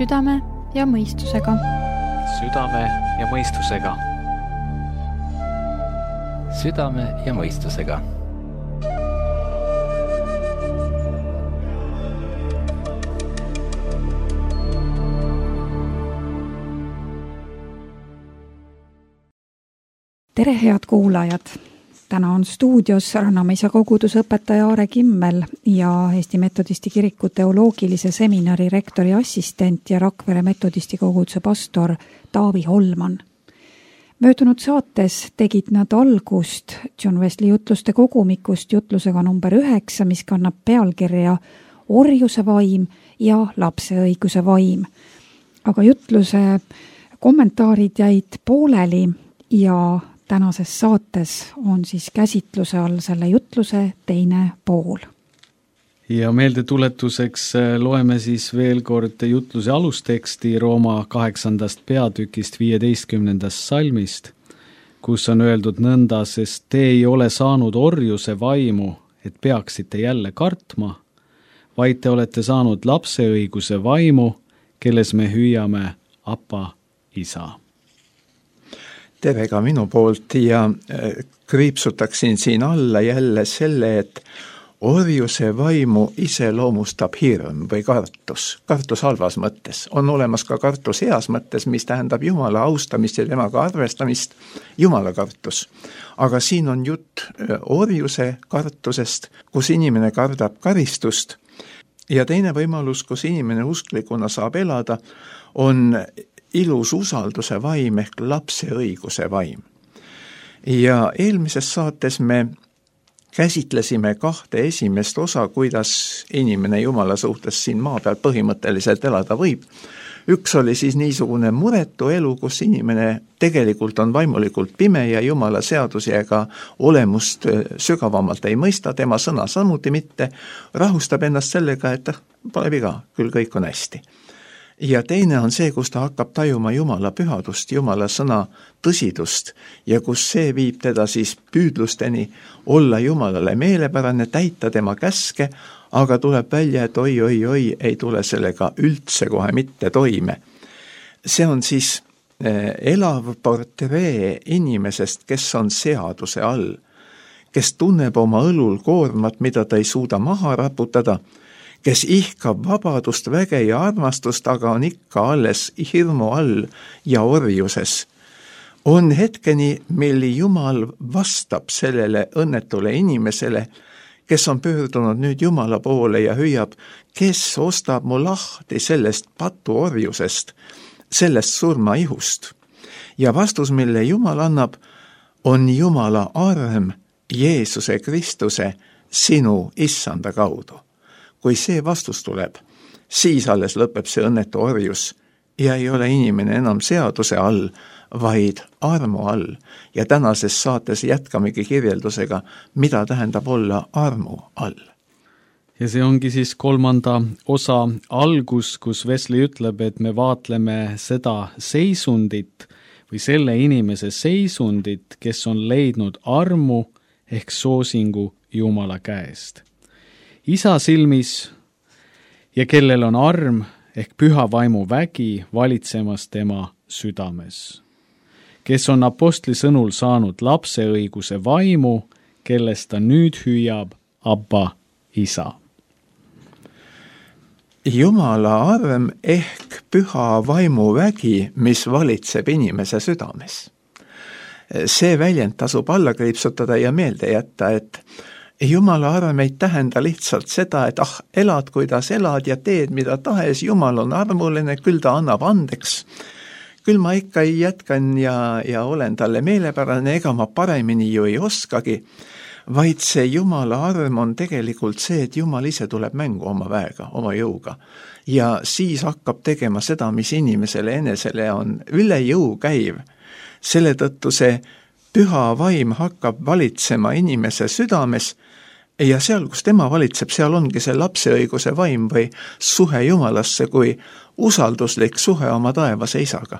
Südame ja mõistusega. Südame ja mõistusega. Südame ja mõistusega. Tere, head kuulajad! Täna on stuudios Rannamäisa kogudusõpetaja Aare Kimmel ja Eesti Metodisti Kiriku teoloogilise seminari rektori assistent ja Rakvere Metodisti koguduse pastor Taavi Holman. Möödunud saates tegid nad algust John Wesley jutluste kogumikust jutlusega number 9, mis kannab pealkirja Orjuse vaim ja lapse õiguse vaim. Aga jutluse kommentaarid jäid pooleli ja tänases saates on siis käsitluse all selle jutluse teine pool. Ja meeldetuletuseks loeme siis veel kord jutluse alusteksti Rooma 8. peatükist 15. salmist, kus on öeldud nõnda, sest te ei ole saanud orjuse vaimu, et peaksite jälle kartma, vaid te olete saanud lapseõiguse vaimu, kelles me hüüame Appa, Isa. Tere ka minu poolt ja kriipsutaksin siin alla jälle selle, et orjuse vaimu iseloomustab hirm või kartus. Kartus halvas mõttes. On olemas ka kartus heas mõttes, mis tähendab Jumala austamist ja temaga arvestamist, Jumala kartus. Aga siin on jutt orjuse kartusest, kus inimene kardab karistust. Ja teine võimalus, kus inimene usklikuna saab elada, on ilus usalduse vaim ehk lapse õiguse vaim. Ja eelmises saates me käsitlesime 2 esimest osa, kuidas inimene Jumala suhtes siin maa peal põhimõtteliselt elada võib. Üks oli siis niisugune muretu elu, kus inimene tegelikult on vaimulikult pime ja Jumala seadusi ega olemust sügavamalt ei mõista, tema sõna samuti mitte, rahustab ennast sellega, et pole viga, küll kõik on hästi. Ja teine on see, kus ta hakkab tajuma Jumala pühadust, Jumala sõna tõsidust ja kus see viib teda siis püüdlusteni olla Jumalale meelepärane, täita tema käske, aga tuleb välja, et oi, ei tule sellega üldse kohe mitte toime. See on siis elav portree inimesest, kes on seaduse all, kes tunneb oma õlul koormat, mida ta ei suuda maha raputada, kes ihkab vabadust, väge ja armastust, aga on ikka alles hirmu all ja orjuses. On hetkeni, mil Jumal vastab sellele õnnetule inimesele, kes on pöördunud nüüd Jumala poole ja hüüab, kes ostab mu lahti sellest patuorjusest, sellest surmaihust. Ja vastus, mille Jumal annab, on Jumala arm Jeesuse Kristuse sinu issanda kaudu. Kui see vastus tuleb, siis alles lõpeb see õnnetu orjus ja ei ole inimene enam seaduse all, vaid armu all. Ja tänases saates jätkamegi kirjeldusega, mida tähendab olla armu all. Ja see ongi siis 3. osa algus, kus Wesley ütleb, et me vaatleme seda seisundit või selle inimese seisundit, kes on leidnud armu ehk soosingu Jumala käest. Isa silmis ja kellel on arm ehk püha vaimu vägi valitsemas tema südames, kes on apostli sõnul saanud lapseõiguse vaimu, kellest ta nüüd hüüab Abba, Isa. Jumala arm ehk püha vaimu vägi, mis valitseb inimese südames. See väljend tasub alla kriipsutada ja meelde jätta, et Jumala arm ei tähenda lihtsalt seda, et elad, kuidas elad ja teed, mida tahes, Jumal on armuline, küll ta annab andeks. Küll ma ikka jätkan ja olen talle meelepärane, ega ma paremini ju ei oskagi, vaid see Jumala arm on tegelikult see, et Jumal ise tuleb mängu oma väega, oma jõuga. Ja siis hakkab tegema seda, mis inimesele enesele on üle jõu käiv. Selle tõttu see püha vaim hakkab valitsema inimese südames ja seal, kus tema valitseb, seal ongi see lapseõiguse vaim või suhe Jumalasse kui usalduslik suhe oma taevase isaga.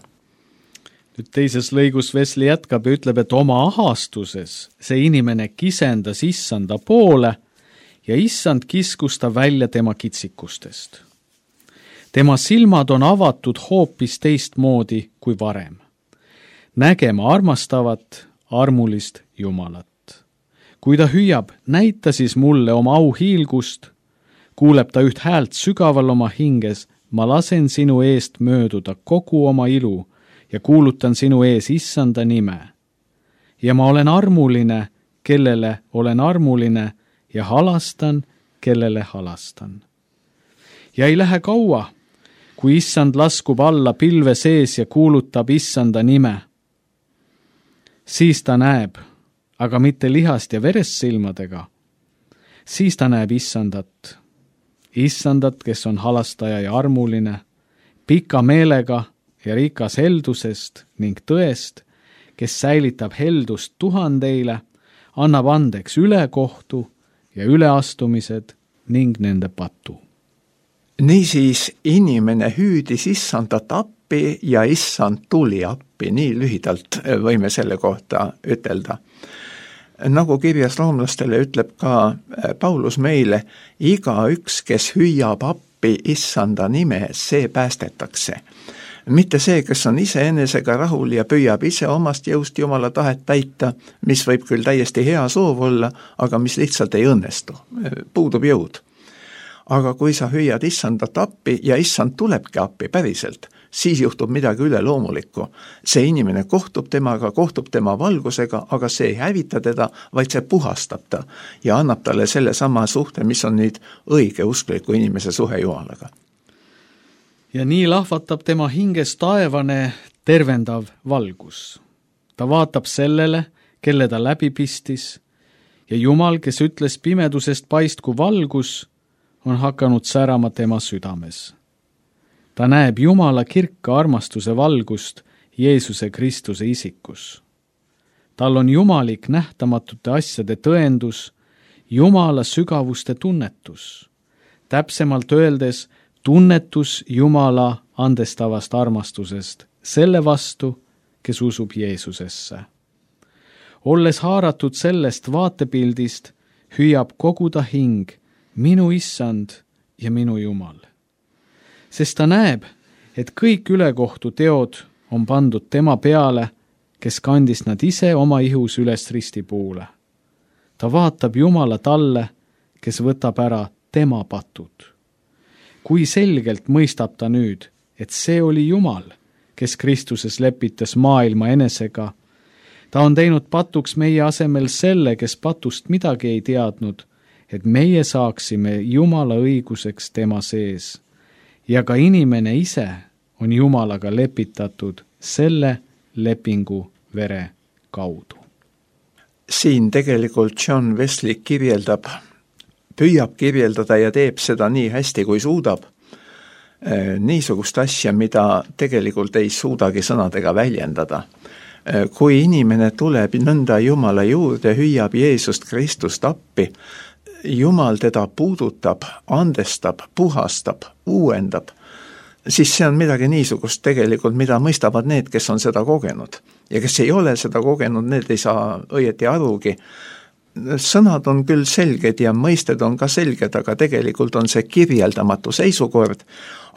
Nüüd teises lõigus Wesley jätkab ja ütleb, et oma ahastuses see inimene kisendas issanda poole ja issand kiskus ta välja tema kitsikustest. tema silmad on avatud hoopis teistmoodi kui varem, nägema armastavat, armulist Jumalat. Kui ta hüüab, näita siis mulle oma auhiilgust, kuuleb ta üht häält sügaval oma hinges, ma lasen sinu eest mööduda kogu oma ilu ja kuulutan sinu ees issanda nime. Ja ma olen armuline, kellele olen armuline ja halastan, kellele halastan. Ja ei lähe kaua, kui issand laskub alla pilve sees ja kuulutab issanda nime. Siis ta näeb, aga mitte lihast ja verest silmadega. Siis ta näeb issandat. Issandat, kes on halastaja ja armuline, pika meelega ja rikas heldusest ning tõest, kes säilitab heldust tuhandeile, annab andeks ülekohtu ja üleastumised ning nende patu. Niisiis inimene hüüdis issandat appi ja issand tuli appi, nii lühidalt võime selle kohta ütelda. Nagu kirjas roomlastele ütleb ka Paulus meile, igaüks, kes hüüab appi issanda nime, see päästetakse. Mitte see, kes on iseenesega rahul ja püüab ise omast jõust Jumala tahet täita, mis võib küll täiesti hea soov olla, aga mis lihtsalt ei õnnestu, puudub jõud. Aga kui sa hüüad issandat appi ja issand tulebki appi päriselt, siis juhtub midagi üleloomulikku. See inimene kohtub tema valgusega, aga see ei hävita teda, vaid see puhastab ta ja annab talle selle sama suhte, mis on nüüd õige uskliku inimese suhe Jumalaga. Ja nii lahvatab tema hinges taevane tervendav valgus. Ta vaatab sellele, kelle ta läbi pistis, ja Jumal, kes ütles pimedusest paistku valgus, on hakanud särama tema südames. Ta näeb Jumala kirka armastuse valgust Jeesuse Kristuse isikus. Tal on jumalik nähtamatute asjade tõendus, Jumala sügavuste tunnetus. Täpsemalt öeldes tunnetus Jumala andestavast armastusest selle vastu, kes usub Jeesusesse. Olles haaratud sellest vaatepildist, hüüab kogu ta hing, minu issand ja minu Jumal. Sest ta näeb, et kõik ülekohtu teod on pandud tema peale, kes kandis nad ise oma ihus üles ristipuule. Ta vaatab Jumala talle, kes võtab ära tema patud. Kui selgelt mõistab ta nüüd, et see oli Jumal, kes Kristuses lepitas maailma enesega. Ta on teinud patuks meie asemel selle, kes patust midagi ei teadnud, et meie saaksime Jumala õiguseks tema sees. Ja ka inimene ise on Jumalaga lepitatud selle lepingu vere kaudu. Siin tegelikult John Wesley püüab kirjeldada ja teeb seda nii hästi, kui suudab. Niisugust asja, mida tegelikult ei suudagi sõnadega väljendada. Kui inimene tuleb nõnda Jumala juurde, hüüab Jeesust Kristust appi, Jumal teda puudutab, andestab, puhastab, uuendab, siis see on midagi niisugust tegelikult, mida mõistavad need, kes on seda kogenud. Ja kes ei ole seda kogenud, need ei saa õieti arugi. Sõnad on küll selged ja mõisted on ka selged, aga tegelikult on see kirjeldamatu seisukord,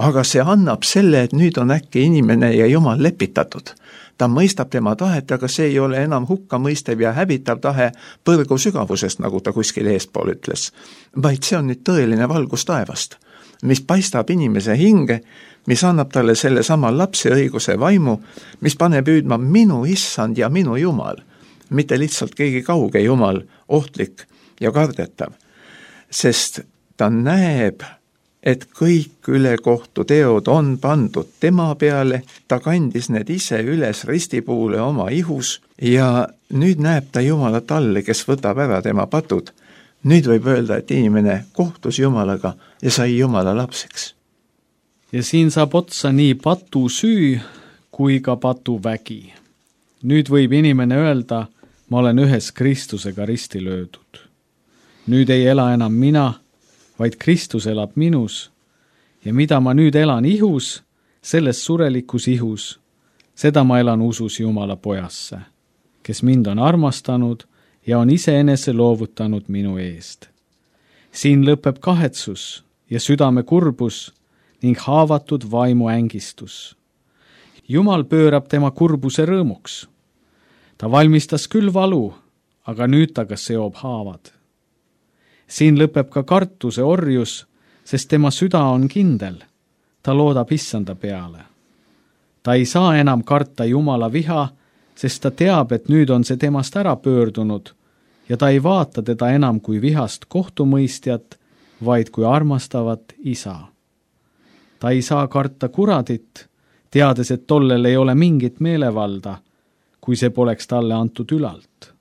aga see annab selle, et nüüd on äkki inimene ja Jumal lepitatud. Ta mõistab tema tahet, aga see ei ole enam hukkamõistev ja hävitav tahe põrgu sügavusest, nagu ta kuskil eespool ütles, vaid see on nüüd tõeline valgus taevast, mis paistab inimese hinge, mis annab talle selle sama lapse õiguse vaimu, mis paneb hüüdma minu issand ja minu Jumal, mitte lihtsalt keegi kauge Jumal, ohtlik ja kardetav, sest ta näeb, et kõik ülekohtu teod on pandud tema peale, ta kandis need ise üles ristipuule oma ihus ja nüüd näeb ta Jumala talle, kes võtab ära tema patud. Nüüd võib öelda, et inimene kohtus Jumalaga ja sai Jumala lapseks. Ja siin saab otsa nii patu süü kui ka patu vägi. Nüüd võib inimene öelda, ma olen ühes Kristusega risti löödud. Nüüd ei ela enam mina, vaid Kristus elab minus ja mida ma nüüd elan ihus, selles surelikus ihus, seda ma elan usus Jumala pojasse, kes mind on armastanud ja on iseenese loovutanud minu eest. Siin lõpeb kahetsus ja südame kurbus, ning haavatud vaimu ängistus. Jumal pöörab tema kurbuse rõõmuks. Ta valmistas küll valu, aga nüüd ta ka seob haavad. Siin lõpeb ka kartuse orjus, sest tema süda on kindel. Ta loodab issanda peale. Ta ei saa enam karta Jumala viha, sest ta teab, et nüüd on see temast ära pöördunud ja ta ei vaata teda enam kui vihast kohtumõistjat, vaid kui armastavat isa. Ta ei saa karta kuradit, teades, et tollel ei ole mingit meelevalda, kui see poleks talle antud ülalt.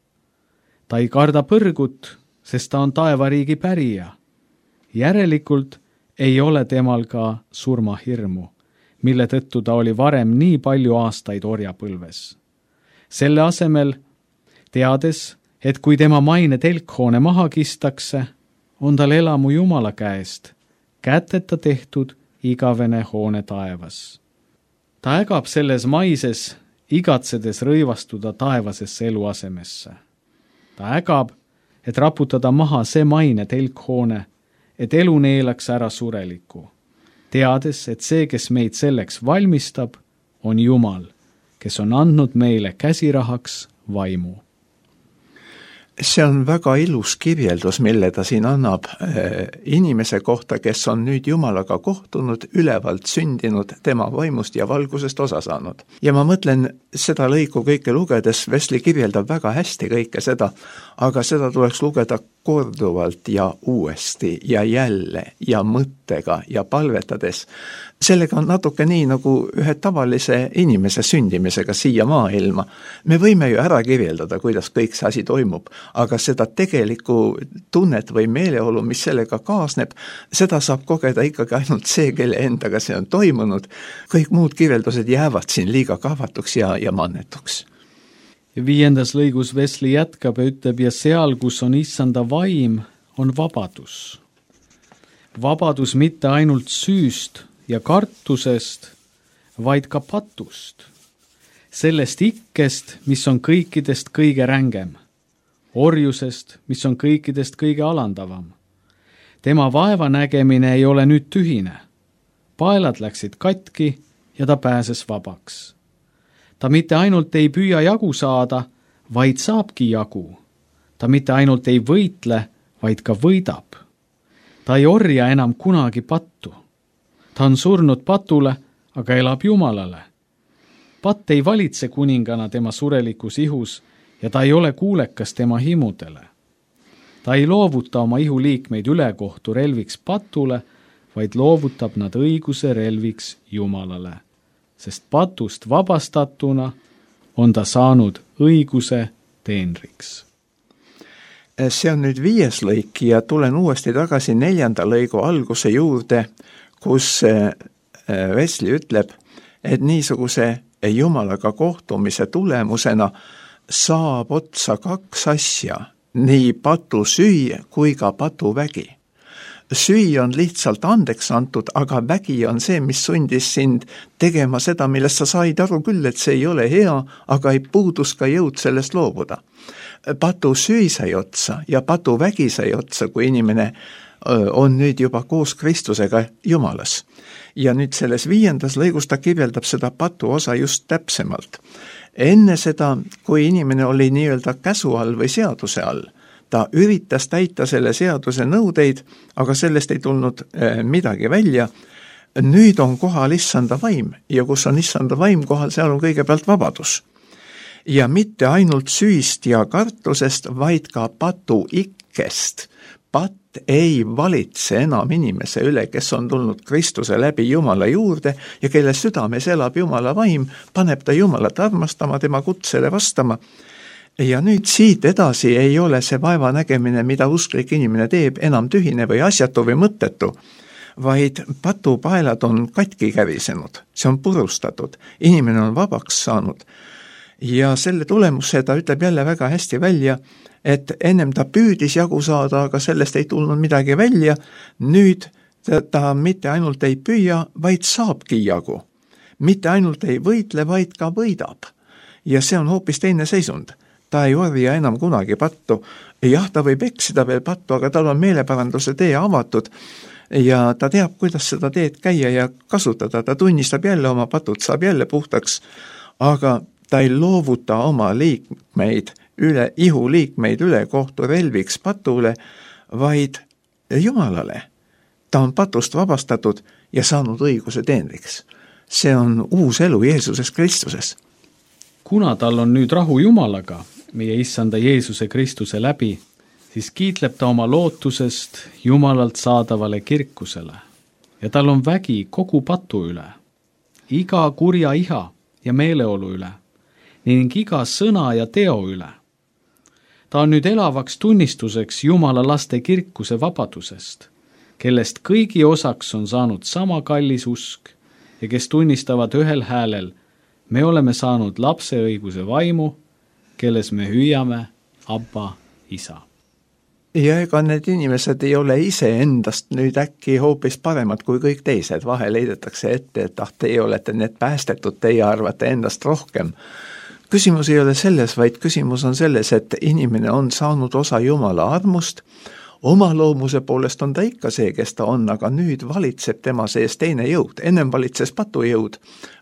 Ta ei karda põrgut, sest ta on taevariigi pärija. Järelikult ei ole temal ka surmahirmu, mille tõttu ta oli varem nii palju aastaid orjapõlves. Selle asemel, teades, et kui tema maine telkhoone maha kistakse, on tal elamu Jumala käest, käteta tehtud igavene hoone taevas. Ta ägab selles maises, igatsedes rõivastuda taevasesse eluasemesse. Ta ägab, et raputada maha see maine telkhoone, et elu neelaks ära sureliku, teades, et see, kes meid selleks valmistab, on Jumal, kes on andnud meile käsirahaks vaimu. See on väga ilus kirjeldus, mille ta siin annab inimese kohta, kes on nüüd Jumalaga kohtunud, ülevalt sündinud, tema vaimust ja valgusest osa saanud. Ja ma mõtlen, seda lõiku kõike lugedes, Wesley kirjeldab väga hästi kõike seda, aga seda tuleks lugeda korduvalt ja uuesti ja jälle ja mõttega ja palvetades. Sellega on natuke nii nagu ühe tavalise inimese sündimisega siia maailma. Me võime ju ära kirjeldada, kuidas kõik see asi toimub, aga seda tegelikku tunnet või meeleolu, mis sellega kaasneb, seda saab kogeda ikkagi ainult see, kelle endaga see on toimunud. Kõik muud kirjeldused jäävad siin liiga kahvatuks ja mannetuks. Ja 5. lõigus Wesley jätkab ja ütleb, ja seal, kus on issanda vaim, on vabadus. Vabadus mitte ainult süüst ja kartusest, vaid ka patust. Sellest ikkest, mis on kõikidest kõige rängem. Orjusest, mis on kõikidest kõige alandavam. Tema vaeva nägemine ei ole nüüd tühine. Paelad läksid katki ja ta pääses vabaks. Ta mitte ainult ei püüa jagu saada, vaid saabki jagu. Ta mitte ainult ei võitle, vaid ka võidab. Ta ei orja enam kunagi pattu. Ta on surnud patule, aga elab Jumalale. Patt ei valitse kuningana tema surelikus ihus ja ta ei ole kuulekas tema himudele. Ta ei loovuta oma ihuliikmeid ülekohtu relviks patule, vaid loovutab nad õiguse relviks Jumalale. Sest patust vabastatuna on ta saanud õiguse teenriks. See on nüüd 5. lõik ja tulen uuesti tagasi 4. lõigu alguse juurde, kus Wesley ütleb, et niisuguse Jumalaga kohtumise tulemusena saab otsa 2 asja, nii patusüü kui ka patuvägi. Süü on lihtsalt andeks antud, aga vägi on see, mis sundis sind tegema seda, millest sa said aru küll, et see ei ole hea, aga ei puudus ka jõud sellest loobuda. Patusüü sai otsa ja patuvägi sai otsa, kui inimene on nüüd juba koos Kristusega Jumalas. Ja nüüd selles 5. lõigus ta kirjeldab seda patu osa just täpsemalt. Enne seda, kui inimene oli nii-öelda käsu all või seaduse all, ta üritas täita selle seaduse nõudeid, aga sellest ei tulnud midagi välja. Nüüd on kohal issanda vaim ja kus on issanda vaim kohal, seal on kõigepealt vabadus. Ja mitte ainult süüst ja kartusest, vaid ka patuikkest. Patt ei valitse enam inimese üle, kes on tulnud Kristuse läbi Jumala juurde ja kelle südames elab Jumala vaim, paneb ta Jumalat armastama, tema kutsele vastama. Ja nüüd siit edasi ei ole see vaeva nägemine, mida usklik inimene teeb, enam tühine või asjatu või mõttetu, vaid patupaelad on katki kärisenud, see on purustatud, inimene on vabaks saanud. Ja selle tulemuse ta ütleb jälle väga hästi välja, et ennem ta püüdis jagu saada, aga sellest ei tulnud midagi välja, nüüd ta mitte ainult ei püüa, vaid saabki jagu. Mitte ainult ei võitle, vaid ka võidab. Ja see on hoopis teine seisund. Ta ei orja enam kunagi pattu. Jah, ta võib eksida veel pattu, aga tal on meeleparanduse tee avatud ja ta teab, kuidas seda teed käia ja kasutada, ta tunnistab jälle oma patud, saab jälle puhtaks, aga ta ei loovuta oma liikmeid ihuliikmeid üle kohturelviks patule, vaid Jumalale. Ta on patust vabastatud ja saanud õiguse teenriks. See on uus elu Jeesuses Kristuses. Kuna tal on nüüd rahu Jumalaga, meie issanda Jeesuse Kristuse läbi, siis kiitleb ta oma lootusest Jumalalt saadavale kirkusele ja tal on vägi kogu patu üle, iga kurja iha ja meeleolu üle ning iga sõna ja teo üle. Ta on nüüd elavaks tunnistuseks Jumala laste kirkuse vabadusest, kellest kõigi osaks on saanud sama kallis usk ja kes tunnistavad ühel häälel, me oleme saanud lapse õiguse vaimu, kelles me hüüame Abba, isa. Ja ega need inimesed ei ole ise endast nüüd äkki hoopis paremad kui kõik teised. Vahel heidetakse ette, et teie olete need päästetud, teie arvate endast rohkem. Küsimus ei ole selles, vaid küsimus on selles, et inimene on saanud osa Jumala armust, oma loomuse poolest on ta ikka see, kes ta on, aga nüüd valitseb tema sees teine jõud. Ennem valitses patujõud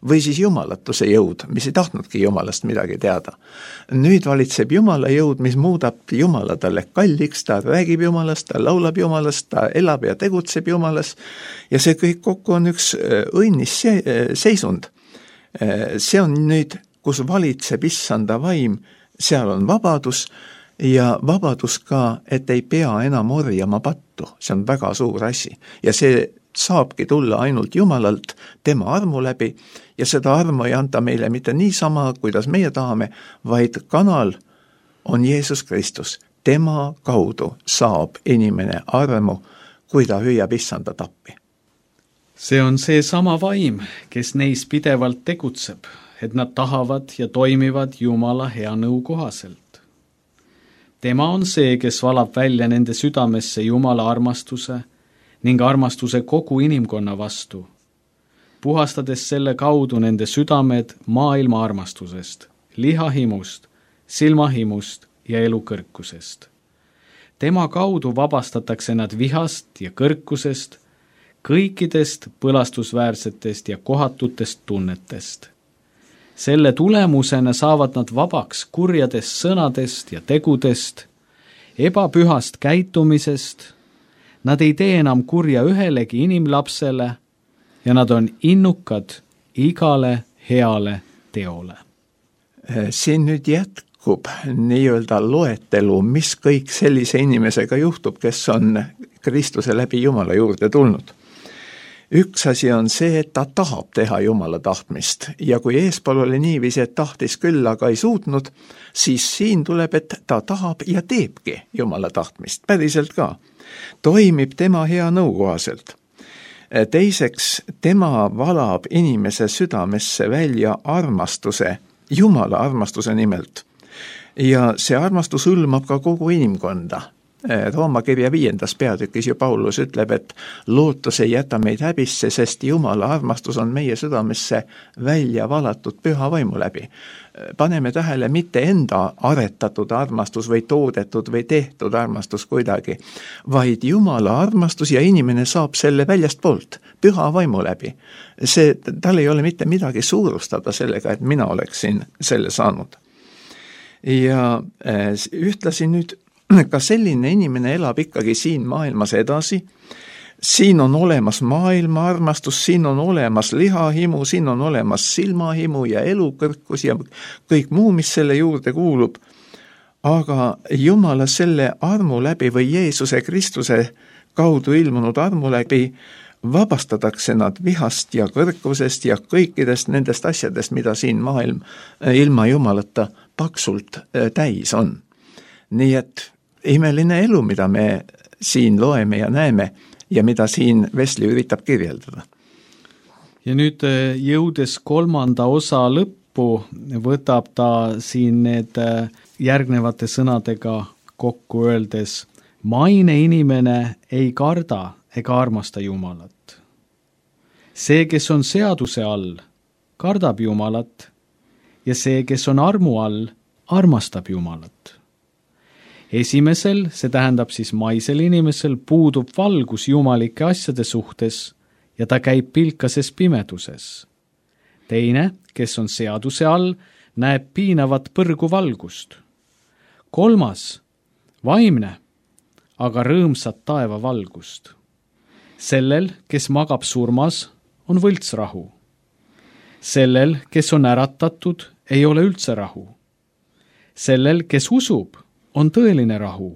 või siis jumalatuse jõud, mis ei tahtnudki Jumalast midagi teada. Nüüd valitseb Jumala jõud, mis muudab Jumala talle kalliks, ta räägib Jumalast, ta laulab Jumalast, ta elab ja tegutseb Jumalas ja see kõik kokku on üks õnnis seisund. See on nüüd, kus valitseb issanda vaim, seal on vabadus ja vabadus ka, et ei pea enam orjama pattu. See on väga suur asi ja see saabki tulla ainult Jumalalt tema armu läbi ja seda armu ei anta meile mitte niisama, kuidas meie tahame, vaid kanal on Jeesus Kristus. Tema kaudu saab inimene armu, kui ta hüüab issanda tappi. See on see sama vaim, kes neis pidevalt tegutseb, et nad tahavad ja toimivad Jumala hea nõu kohaselt. Tema on see, kes valab välja nende südamesse Jumala armastuse ning armastuse kogu inimkonna vastu, puhastades selle kaudu nende südamed maailma armastusest, lihahimust, silmahimust ja elukõrkusest. Tema kaudu vabastatakse nad vihast ja kõrkusest, kõikidest põlastusväärsetest ja kohatutest tunnetest. Selle tulemusena saavad nad vabaks kurjadest sõnadest ja tegudest, ebapühast käitumisest, nad ei tee enam kurja ühelegi inimlapsele ja nad on innukad igale heale teole. Siin nüüd jätkub nii-öelda loetelu, mis kõik sellise inimesega juhtub, kes on Kristuse läbi Jumala juurde tulnud. Üks asi on see, et ta tahab teha Jumala tahtmist ja kui eespool oli niiviisi, et tahtis küll, aga ei suutnud, siis siin tuleb, et ta tahab ja teebki Jumala tahtmist, päriselt ka. Toimib tema hea nõu kohaselt. Teiseks, tema valab inimese südamesse välja armastuse, Jumala armastuse nimelt. Ja see armastus hõlmab ka kogu inimkonda. Rooma kirja 5. peatükis ju Paulus ütleb, et lootus ei jäta meid häbisse, sest Jumala armastus on meie südamesse välja valatud püha vaimu läbi. Paneme tähele mitte enda aretatud armastus või toodetud või tehtud armastus kuidagi, vaid Jumala armastus ja inimene saab selle väljast poolt, püha vaimu läbi. Tal ei ole mitte midagi suurustada sellega, et mina oleksin selle saanud. Ja ühtlasi nüüd ka selline inimene elab ikkagi siin maailmas edasi. Siin on olemas maailma armastus, siin on olemas lihahimu, siin on olemas silmahimu ja elukõrkus ja kõik muu, mis selle juurde kuulub. Aga Jumala selle armu läbi või Jeesuse Kristuse kaudu ilmunud armu läbi vabastatakse nad vihast ja kõrkusest ja kõikidest nendest asjadest, mida siin maailm ilma Jumalata paksult täis on. Nii et imeline elu, mida me siin loeme ja näeme ja mida siin Wesley üritab kirjeldada. Ja nüüd jõudes 3. osa lõppu, võtab ta siin need järgnevate sõnadega kokku öeldes: maine inimene ei karda ega armasta Jumalat. See, kes on seaduse all, kardab Jumalat ja see, kes on armu all, armastab Jumalat. Esimesel, see tähendab siis maisel inimesel, puudub valgus jumalike asjade suhtes ja ta käib pilkases pimeduses. Teine, kes on seaduse all, näeb piinavat põrgu valgust. Kolmas, vaimne, aga rõõmsat taeva valgust. Sellel, kes magab surmas, on võltsrahu. Sellel, kes on äratatud, ei ole üldse rahu. Sellel, kes usub, on tõeline rahu,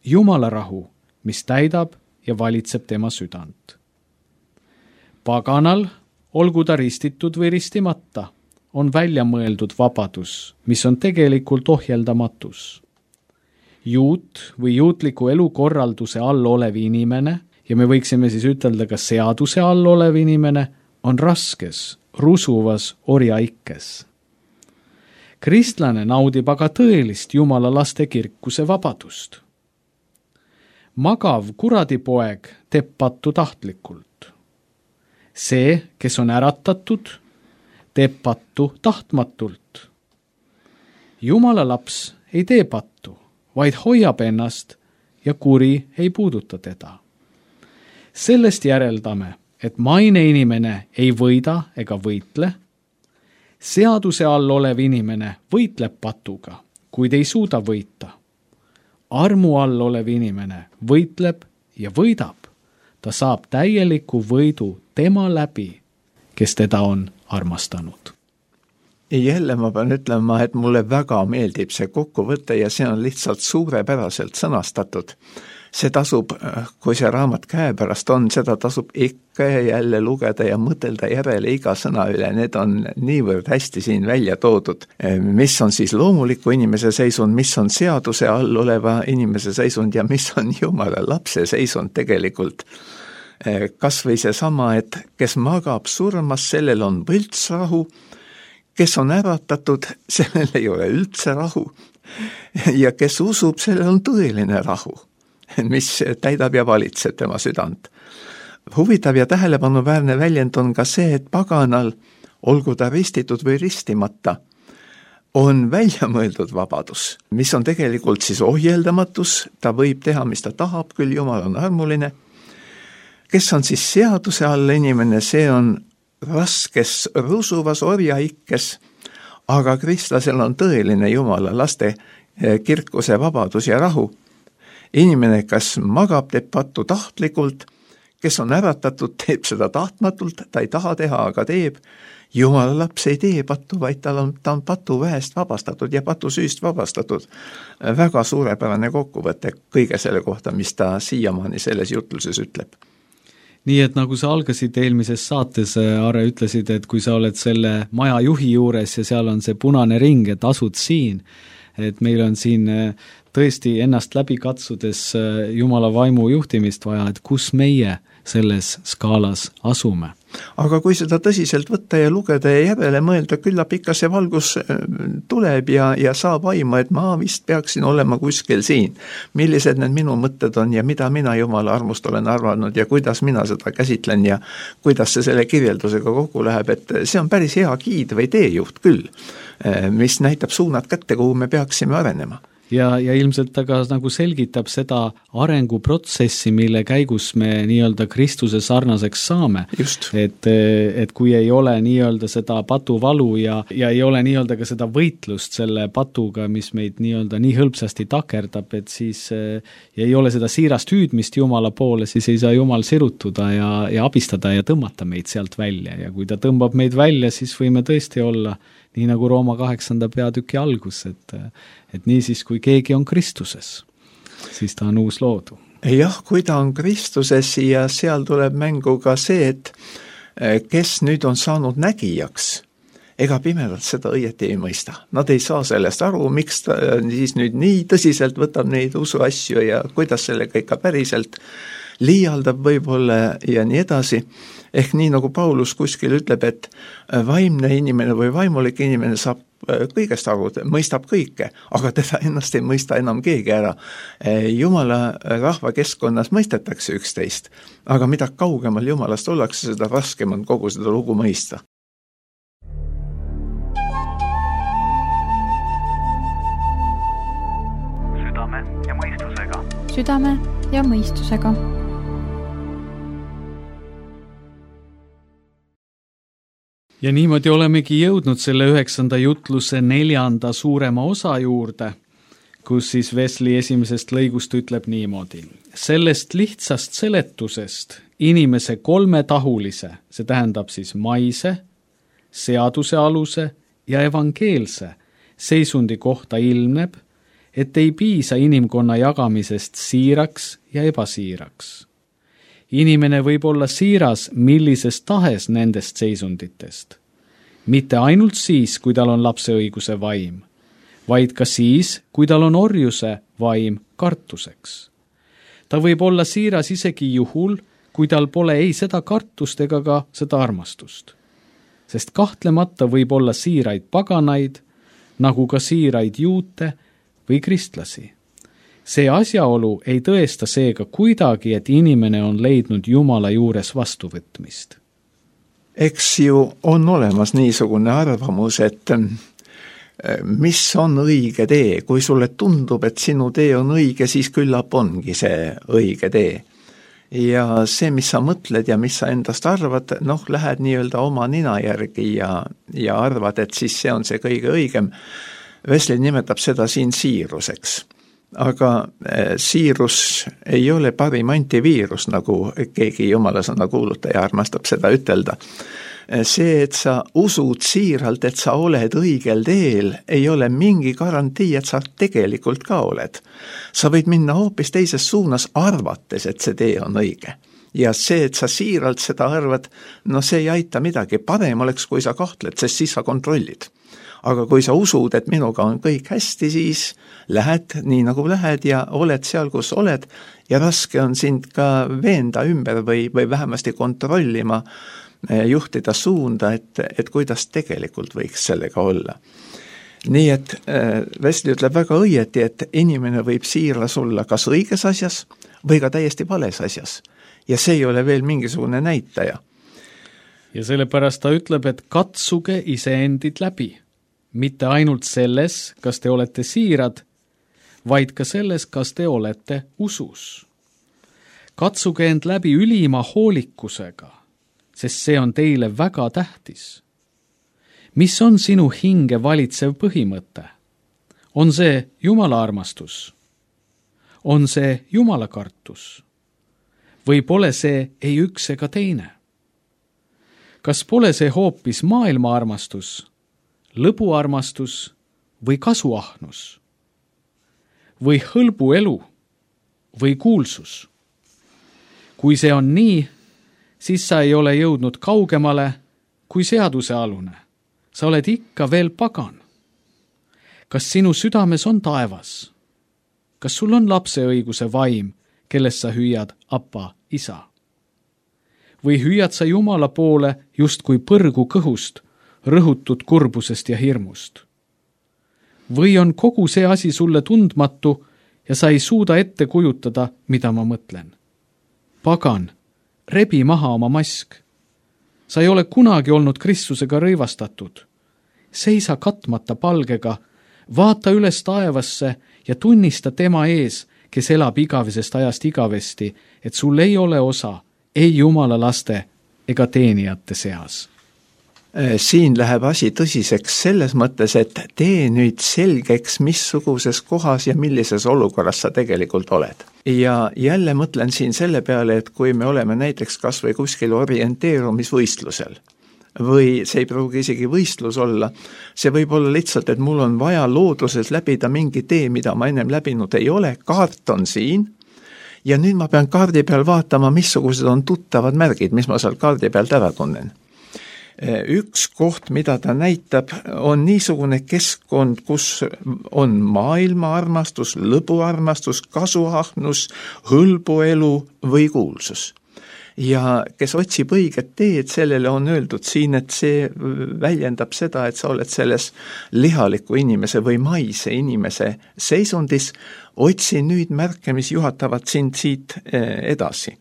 Jumala rahu, mis täidab ja valitseb tema südant. Paganal, olgu ta ristitud või ristimata, on välja mõeldud vabadus, mis on tegelikult ohjeldamatus. Juut või juutliku elukorralduse all olev inimene, ja me võiksime siis ütelda ka seaduse all olev inimene, on raskes, rusuvas orjaikkes. Kristlane naudib aga tõelist Jumala laste kirkuse vabadust. Magav kuradipoeg teeb pattu tahtlikult. See, kes on äratatud, teeb pattu tahtmatult. Jumala laps ei tee pattu, vaid hoiab ennast ja kuri ei puuduta teda. Sellest järeldame, et maine inimene ei võida ega võitle. Seaduse all olev inimene võitleb patuga, kuid ei suuda võita. Armu all olev inimene võitleb ja võidab. Ta saab täieliku võidu tema läbi, kes teda on armastanud. Jälle ma pean ütlema, et mulle väga meeldib see kokkuvõte ja see on lihtsalt suurepäraselt sõnastatud. See tasub, kui see raamat käepärast on, seda tasub ikka ja jälle lugeda ja mõtelda järele iga sõna üle. Need on niivõrd hästi siin välja toodud. Mis on siis loomuliku inimese seisund, mis on seaduse all oleva inimese seisund ja mis on Jumala lapse seisund tegelikult. Kas või see sama, et kes magab surmas, sellel on võltsrahu, kes on äratatud, sellel ei ole üldse rahu ja kes usub, sellel on tõeline rahu, mis täidab ja valitseb tema südant. Huvitav ja tähelepanuväärne väljend on ka see, et paganal, olgu ta ristitud või ristimata, on välja mõeldud vabadus, mis on tegelikult siis ohjeldamatus, ta võib teha, mis ta tahab, küll Jumal on armuline. Kes on siis seaduse all inimene, see on raskes rusuvas orjaikkes, aga kristlasel on tõeline Jumala laste kirkuse vabadus ja rahu. Inimene, kas magab, teeb pattu tahtlikult, kes on äratatud, teeb seda tahtmatult, ta ei taha teha, aga teeb. Jumala laps ei tee pattu, vaid ta on patuväest vabastatud ja patusüüst vabastatud. Väga suurepärane kokkuvõte kõige selle kohta, mis ta siiamaani selles jutluses ütleb. Nii et nagu sa algasid eelmises saates, Are, ütlesid, et kui sa oled selle maja juhi juures ja seal on see punane ring, et asud siin, et meil on siin tõesti ennast läbi katsudes Jumala vaimu juhtimist vaja, et kus meie selles skaalas asume. Aga kui seda tõsiselt võtta ja lugeda ja järele mõelda, küllap ikka see valgus tuleb ja saab aima, et ma vist peaksin olema kuskil siin. Millised need minu mõtted on ja mida mina Jumala armust olen arvanud ja kuidas mina seda käsitlen ja kuidas see selle kirjeldusega kokku läheb, et see on päris hea giid või teejuht küll, mis näitab suunad kätte, kuhu me peaksime arenema. Ja ilmselt ta ka nagu selgitab seda arenguprotsessi, mille käigus me nii-öelda Kristuse sarnaseks saame. Et kui ei ole nii-öelda seda patuvalu ja ei ole nii-öelda ka seda võitlust selle patuga, mis meid nii-öelda nii hõlpsasti takerdab, et siis ei ole seda siirast hüüdmist Jumala poole, siis ei saa Jumal sirutuda ja abistada ja tõmmata meid sealt välja. Ja kui ta tõmbab meid välja, siis võime tõesti olla nii nagu Rooma 8. peatüki algus, et nii siis, kui keegi on Kristuses, siis ta on uus loodu. Jah, kui ta on Kristuses ja seal tuleb mängu ka see, et kes nüüd on saanud nägijaks, ega pimedalt seda õieti ei mõista. Nad ei saa sellest aru, miks ta siis nüüd nii tõsiselt võtab neid usuasju ja kuidas sellega ikka päriselt liialdab võib-olla ja nii edasi. Ehk nii nagu Paulus kuskil ütleb, et vaimne inimene või vaimulik inimene saab kõigest aru, mõistab kõike, aga teda ennast ei mõista enam keegi ära. Jumala rahva keskkonnas mõistetakse üksteist, aga mida kaugemal Jumalast ollakse, seda raskem on kogu seda lugu mõista. Südame ja mõistuse. südame ja mõistusega. Ja niimoodi olemegi jõudnud selle 9. jutluse 4. suurema osa juurde, kus siis Wesley esimesest lõigust ütleb niimoodi. Sellest lihtsast seletusest inimese kolmetahulise, see tähendab siis maise, seadusealuse ja evangeelse seisundi kohta ilmneb, et ei piisa inimkonna jagamisest siiraks ja ebasiiraks. Inimene võib olla siiras millises tahes nendest seisunditest. Mitte ainult siis, kui tal on lapseõiguse vaim, vaid ka siis, kui tal on orjuse vaim kartuseks. Ta võib olla siiras isegi juhul, kui tal pole ei seda kartust ega ka seda armastust. Sest kahtlemata võib olla siiraid paganaid, nagu ka siiraid juute või kristlasi. See asjaolu ei tõesta seega kuidagi, et inimene on leidnud Jumala juures vastuvõtmist. Eks ju on olemas niisugune arvamus, et mis on õige tee. Kui sulle tundub, et sinu tee on õige, siis küllap ongi see õige tee. Ja see, mis sa mõtled ja mis sa endast arvad, lähed nii-öelda oma nina järgi ja arvad, et siis see on see kõige õigem. Wesley nimetab seda siin siiruseks. Aga siirus ei ole parim antiviirus, nagu keegi jumalasõna kuulutaja armastab seda ütelda. See, et sa usud siiralt, et sa oled õigel teel, ei ole mingi garantii, et sa tegelikult ka oled. Sa võid minna hoopis teises suunas arvates, et see tee on õige. Ja see, et sa siiralt seda arvad, see ei aita midagi. Parem oleks, kui sa kahtled, sest siis sa kontrollid. Aga kui sa usud, et minuga on kõik hästi, siis lähed nii nagu lähed ja oled seal, kus oled ja raske on sind ka veenda ümber või vähemasti kontrollima, juhtida suunda, et kuidas tegelikult võiks sellega olla. Nii et Wesley ütleb väga õieti, et inimene võib siiras olla kas õiges asjas või ka täiesti vales asjas. Ja see ei ole veel mingisugune näitaja. Ja sellepärast ta ütleb, et katsuge iseendid läbi. Mitte ainult selles, kas te olete siirad, vaid ka selles, kas te olete usus. Katsuge end läbi ülima hoolikusega, sest see on teile väga tähtis. Mis on sinu hinge valitsev põhimõte? On see Jumala armastus? On see Jumala kartus? Või pole see ei üks ega teine? Kas pole see hoopis maailma armastus, lõbuarmastus või kasuahnus? Või hõlbu elu või kuulsus? Kui see on nii, siis sa ei ole jõudnud kaugemale kui seadusealune. Sa oled ikka veel pagan. Kas sinu südames on taevas? Kas sul on lapseõiguse vaim, kellest sa hüüad Appa, isa? Või hüüad sa Jumala poole just kui põrgu kõhust, rõhutud kurbusest ja hirmust? Või on kogu see asi sulle tundmatu ja sa ei suuda ette kujutada, mida ma mõtlen? Pagan, rebi maha oma mask. Sa ei ole kunagi olnud Kristusega rõivastatud. Seisa katmata palgega, vaata üles taevasse ja tunnista tema ees, kes elab igavesest ajast igavesti, et sul ei ole osa ei Jumala laste ega teenijate seas. Siin läheb asi tõsiseks selles mõttes, et tee nüüd selgeks, missuguses kohas ja millises olukorras sa tegelikult oled. Ja jälle mõtlen siin selle peale, et kui me oleme näiteks kas või kuskil orienteerumisvõistlusel, või see ei pruugi isegi võistlus olla, see võib olla lihtsalt, et mul on vaja looduses läbida mingi tee, mida ma ennem läbinud ei ole, kaart on siin, ja nüüd ma pean kaardi peal vaatama, missugused on tuttavad märgid, mis ma seal kaardi pealt ära tunnen. Üks koht, mida ta näitab, on niisugune keskkond, kus on maailma armastus, lõbuarmastus, kasuahnus, hõlbuelu või kuulsus. Ja kes otsib õiget teed, sellele on öeldud siin, et see väljendab seda, et sa oled selles lihaliku inimese või maise inimese seisundis, otsi nüüd märke, mis juhatavad sind siit edasi.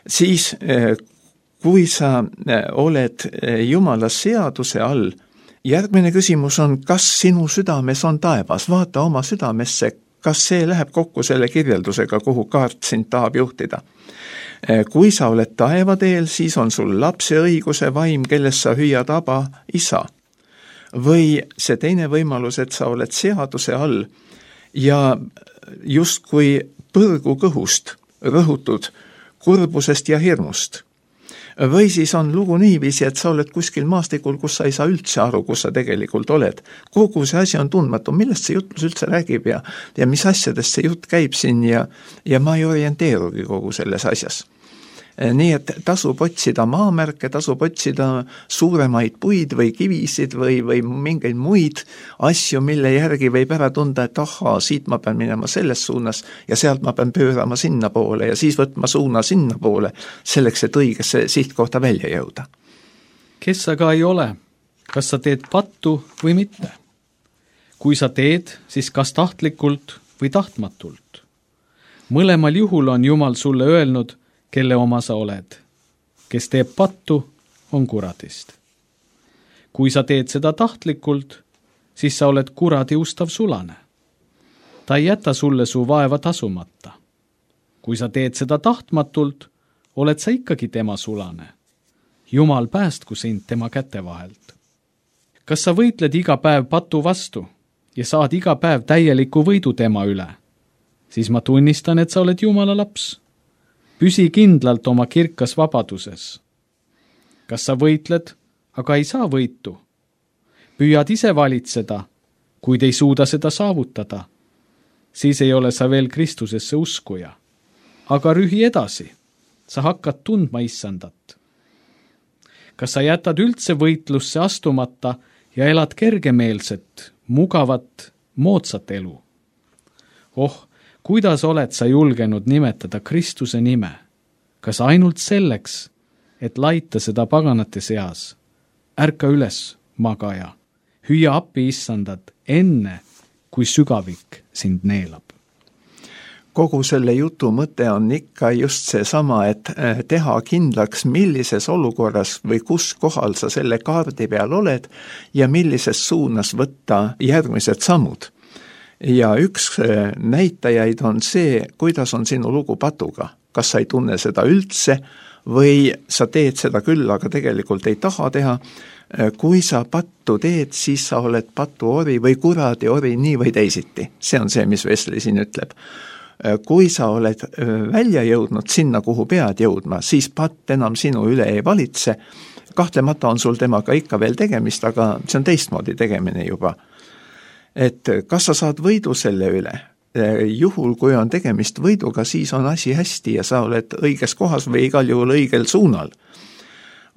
Siis kui sa oled Jumala seaduse all, järgmine küsimus on, kas sinu südames on taevas? Vaata oma südamesse, kas see läheb kokku selle kirjeldusega, kuhu kaart sind tahab juhtida? Kui sa oled taevateel, siis on sul lapse õiguse vaim, kellest sa hüüad aba, isa. Või see teine võimalus, et sa oled seaduse all ja justkui põrgu kõhust rõhutud kurbusest ja hirmust. Või siis on lugu niiviisi, et sa oled kuskil maastikul, kus sa ei saa üldse aru, kus sa tegelikult oled. Kogu see asi on tundmatu, millest see jutlus üldse räägib ja mis asjadest see jutt käib siin ja ma ei orienteerugi kogu selles asjas. Nii et tasub otsida maamärke, tasub otsida suuremaid puid või kivisid või mingeid muid asju, mille järgi võib ära tunda, et ahaa, siit ma pean minema selles suunas ja sealt ma pean pöörama sinna poole ja siis võtma suuna sinna poole, selleks, et õigesse sihtkohta välja jõuda. Kes sa ka ei ole, kas sa teed pattu või mitte? Kui sa teed, siis kas tahtlikult või tahtmatult? Mõlemal juhul on Jumal sulle öelnud, kelle oma sa oled. Kes teeb pattu, on kuradist. Kui sa teed seda tahtlikult, siis sa oled kuradi ustav sulane. Ta ei jäta sulle su vaeva tasumata. Kui sa teed seda tahtmatult, oled sa ikkagi tema sulane. Jumal päästku sind tema käte vahelt. Kas sa võitled iga päev patu vastu ja saad iga päev täieliku võidu tema üle? Siis ma tunnistan, et sa oled Jumala laps. Püsi kindlalt oma kirkas vabaduses. Kas sa võitled, aga ei saa võitu? Püüad ise valitseda, kuid ei suuda seda saavutada. Siis ei ole sa veel Kristusesse uskuja. Aga rühi edasi, sa hakkad tundma issandat. Kas sa jätad üldse võitlusse astumata ja elad kergemeelset, mugavat, moodsat elu? Kuidas oled sa julgenud nimetada Kristuse nime? Kas ainult selleks, et laita seda paganate seas? Ärka üles, magaja. Hüüa appi issandat enne, kui sügavik sind neelab. Kogu selle jutu mõte on ikka just seesama, et teha kindlaks, millises olukorras või kus kohal sa selle kaardi peal oled ja millises suunas võtta järgmised sammud. Ja üks näitajaid on see, kuidas on sinu lugu patuga. Kas sa ei tunne seda üldse või sa teed seda küll, aga tegelikult ei taha teha. Kui sa pattu teed, siis sa oled patuori või kuradi ori nii või teisiti. See on see, mis Wesley siin ütleb. Kui sa oled välja jõudnud sinna, kuhu pead jõudma, siis patt enam sinu üle ei valitse. Kahtlemata on sul temaga ikka veel tegemist, aga see on teistmoodi tegemine juba. Et kas sa saad võidu selle üle? Juhul, kui on tegemist võiduga, siis on asi hästi ja sa oled õiges kohas või igal juhul õigel suunal.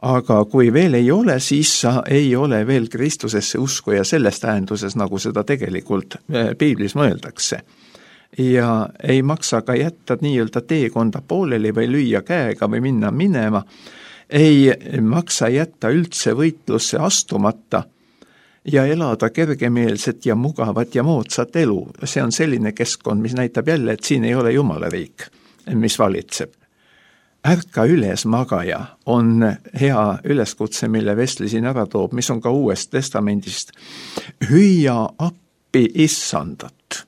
Aga kui veel ei ole, siis sa ei ole veel Kristusesse uskuja selles tähenduses, nagu seda tegelikult Piiblis mõeldakse. Ja ei maksa ka jätta nii-öelda teekonda pooleli või lüüa käega või minema. Ei maksa jätta üldse võitlusse astumata ja elada kergemeelset ja mugavat ja moodsat elu. See on selline keskkond, mis näitab jälle, et siin ei ole Jumala riik, mis valitseb. Ärka üles, magaja, on hea üleskutse, mille Wesley siin ära toob, mis on ka Uuest Testamendist. Hüüa appi issandat,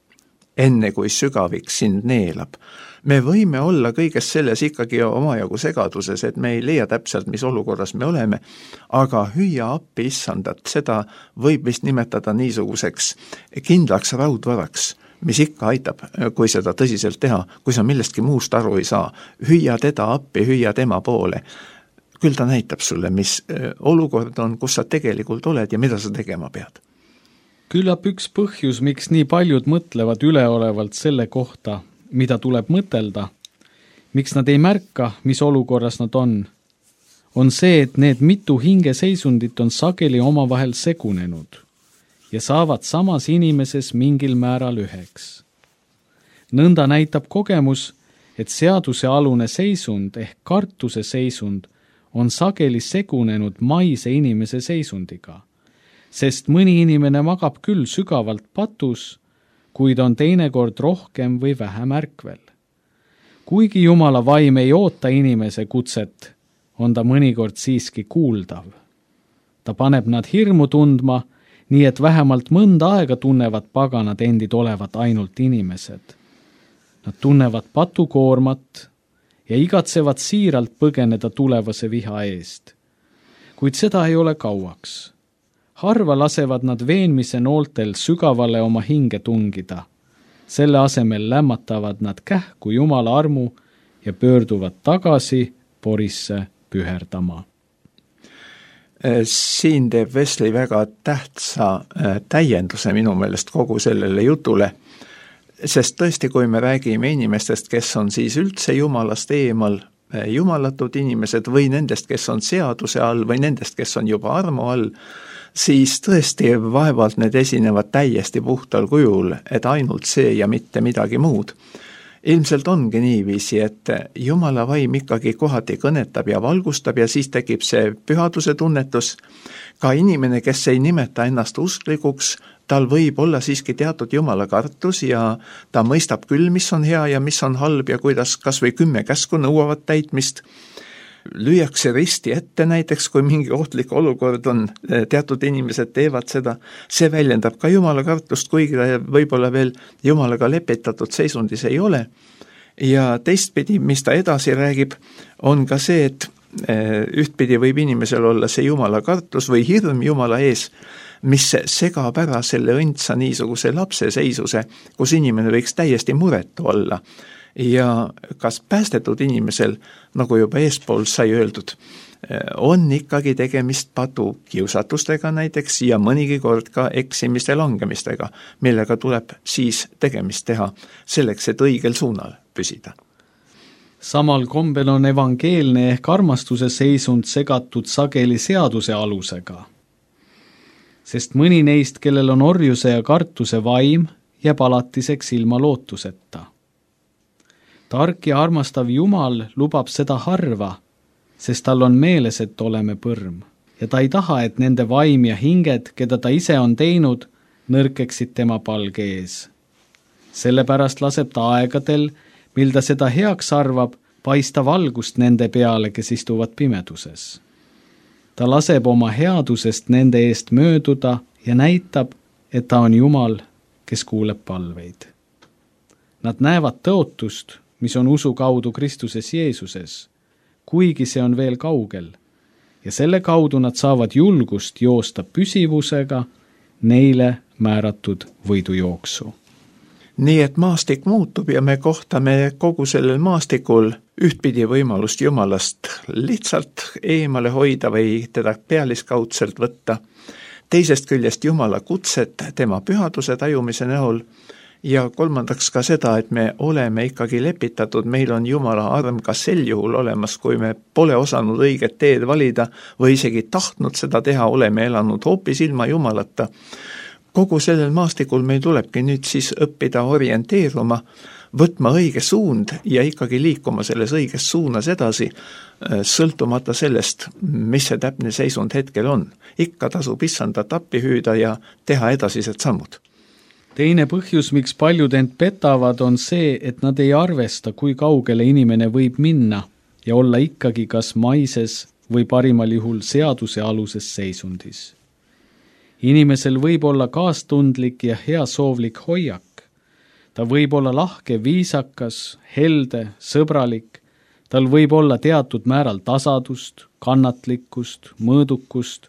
enne kui sügavik sind neelab. Me võime olla kõiges selles ikkagi omajagu segaduses, et me ei leia täpselt, mis olukorras me oleme, aga hüüa appi issandat, seda võib vist nimetada niisuguseks kindlaks raudvaraks, mis ikka aitab, kui seda tõsiselt teha, kui sa millestki muust aru ei saa. Hüüa teda appi, hüüa tema poole. Küll ta näitab sulle, mis olukord on, kus sa tegelikult oled ja mida sa tegema pead. Küllap üks põhjus, miks nii paljud mõtlevad üleolevalt selle kohta, mida tuleb mõtelda, miks nad ei märka, mis olukorras nad on see, et need mitu hingeseisundit on sageli omavahel segunenud ja saavad samas inimeses mingil määral üheks. Nõnda näitab kogemus, et seadusealune seisund ehk kartuse seisund on sageli segunenud maise inimese seisundiga, sest mõni inimene magab küll sügavalt patus, kuid on teinekord rohkem või vähem ärkvel. Kuigi Jumala vaim ei oota inimese kutset, on ta mõnikord siiski kuuldav. Ta paneb nad hirmu tundma nii et vähemalt mõnda aega tunnevad paganad endid olevat ainult inimesed. Nad tunnevad patukoormat ja igatsevad siiralt põgeneda tulevase viha eest. Kuid seda ei ole kauaks. Harva lasevad nad veenmise nooltel sügavale oma hinge tungida. Selle asemel lämmatavad nad kähku Jumala armu ja pöörduvad tagasi Porisse püherdama. Siin teeb Wesley väga tähtsa täienduse minu meelest kogu sellele jutule, sest tõesti, kui me räägime inimestest, kes on siis üldse Jumalast eemal, jumalatud inimesed või nendest, kes on seaduse all või nendest, kes on juba armu all, siis tõesti vaevalt need esinevad täiesti puhtal kujul, et ainult see ja mitte midagi muud. Ilmselt ongi niiviisi, et Jumala vaim ikkagi kohati kõnetab ja valgustab ja siis tekib see pühaduse tunnetus. Ka inimene, kes ei nimeta ennast usklikuks, tal võib olla siiski teatud Jumala kartus ja ta mõistab küll, mis on hea ja mis on halb ja kuidas kas või 10 käsku nõuavad täitmist. Lüüakse risti ette näiteks, kui mingi ohtlik olukord on, teatud inimesed teevad seda, see väljendab ka Jumala kartust, kuigi võib-olla veel Jumalaga lepitatud seisundis ei ole. Ja teistpidi, mis ta edasi räägib, on ka see, et ühtpidi võib inimesel olla see Jumala kartus või hirm Jumala ees, mis segab ära selle õndsa niisuguse lapse seisuse, kus inimene võiks täiesti muretu olla. Ja kas päästetud inimesel, nagu juba eespool sai öeldud, on ikkagi tegemist patu kiusatustega näiteks ja mõnigi kord ka eksimiste langemistega, millega tuleb siis tegemist teha selleks, et õigel suunal püsida. Samal kombel on evangeelne ehk armastuse seisund segatud sageli seaduse alusega, sest mõni neist, kellel on orjuse ja kartuse vaim, jääb alatiseks ilma lootuseta. Tark ja armastav Jumal lubab seda harva, sest tal on meeles, et oleme põrm. Ja ta ei taha, et nende vaim ja hinged, keda ta ise on teinud, nõrkeksid tema palge ees. Sellepärast laseb ta aegadel, mil ta seda heaks arvab, paista valgust nende peale, kes istuvad pimeduses. Ta laseb oma headusest nende eest mööduda ja näitab, et ta on Jumal, kes kuuleb palveid. Nad näevad tõotust, mis on usu kaudu Kristuses Jeesuses, kuigi see on veel kaugel, ja selle kaudu nad saavad julgust joosta püsivusega neile määratud võidujooksu. Nii et maastik muutub ja me kohtame kogu sellel maastikul ühtpidi võimalust Jumalast lihtsalt eemale hoida või teda pealiskaudselt võtta, teisest küljest Jumala kutset tema pühaduse tajumise näol, ja kolmandaks ka seda, et me oleme ikkagi lepitatud, meil on Jumala arm ka sel juhul olemas, kui me pole osanud õiget teed valida või isegi tahtnud seda teha, oleme elanud hoopis ilma Jumalata. Kogu sellel maastikul meil tulebki nüüd siis õppida orienteeruma, võtma õige suund ja ikkagi liikuma selles õiges suunas edasi, sõltumata sellest, mis see täpne seisund hetkel on. Ikka tasub issandat appi hüüda ja teha edasised sammud. Teine põhjus, miks paljud end petavad, on see, et nad ei arvesta, kui kaugele inimene võib minna ja olla ikkagi kas maises või parimal juhul seaduse aluses seisundis. Inimesel võib olla kaastundlik ja heasoovlik hoiak. Ta võib olla lahke, viisakas, helde, sõbralik. Tal võib olla teatud määral tasadust, kannatlikkust, mõõdukust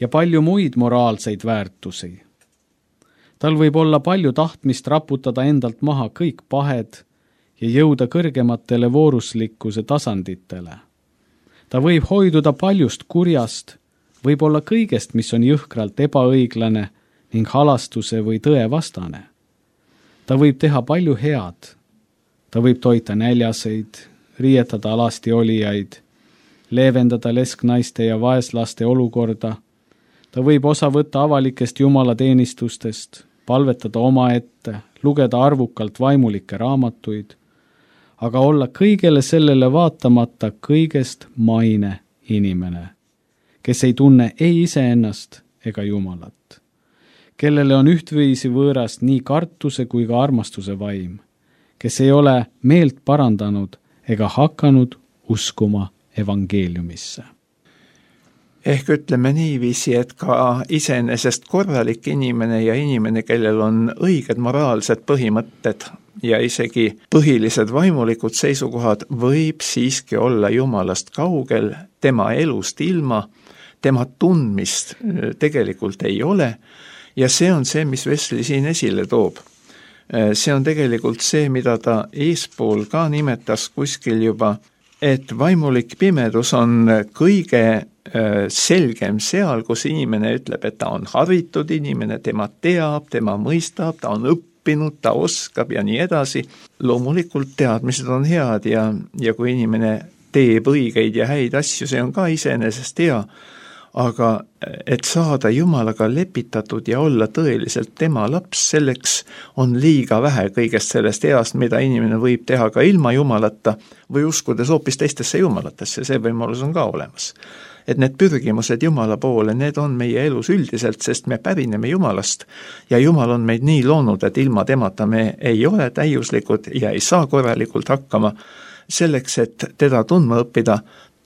ja palju muid moraalseid väärtusi. Tal võib olla palju tahtmist raputada endalt maha kõik pahed ja jõuda kõrgematele vooruslikkuse tasanditele. Ta võib hoiduda paljust kurjast, võib olla kõigest, mis on jõhkralt ebaõiglane ning halastuse või tõe vastane. Ta võib teha palju head. Ta võib toita näljaseid, riietada alasti olijaid, leevendada lesknaiste ja vaeslaste olukorda. Ta võib osa võtta avalikest jumalateenistustest, palvetada omaette, lugeda arvukalt vaimulikke raamatuid, aga olla kõigele sellele vaatamata kõigest maine inimene, kes ei tunne ei iseennast ega Jumalat, kellele on ühtviisi võõras nii kartuse kui ka armastuse vaim, kes ei ole meelt parandanud ega hakanud uskuma evangeeliumisse. ehk ütleme niiviisi, et ka iseenesest korralik inimene ja inimene, kellel on õiged moraalsed põhimõtted ja isegi põhilised vaimulikud seisukohad, võib siiski olla Jumalast kaugel, tema elust ilma, tema tundmist tegelikult ei ole ja see on see, mis Wesley siin esile toob. See on tegelikult see, mida ta eespool ka nimetas kuskil juba, et vaimulik pimedus on kõige selgem seal, kus inimene ütleb, et ta on haritud inimene, tema teab, tema mõistab, ta on õppinud, ta oskab ja nii edasi. Loomulikult teadmised on head ja kui inimene teeb õigeid ja häid asju, see on ka iseenesest hea, aga et saada Jumalaga lepitatud ja olla tõeliselt tema laps, selleks on liiga vähe kõigest sellest heast, mida inimene võib teha ka ilma Jumalata või uskudes hoopis teistesse Jumalatesse, see võimalus on ka olemas. Et need pürgimused Jumala poole, need on meie elus üldiselt, sest me pärineme Jumalast ja Jumal on meid nii loonud, et ilma temata me ei ole täiuslikud ja ei saa korralikult hakkama. Selleks, et teda tundma õppida,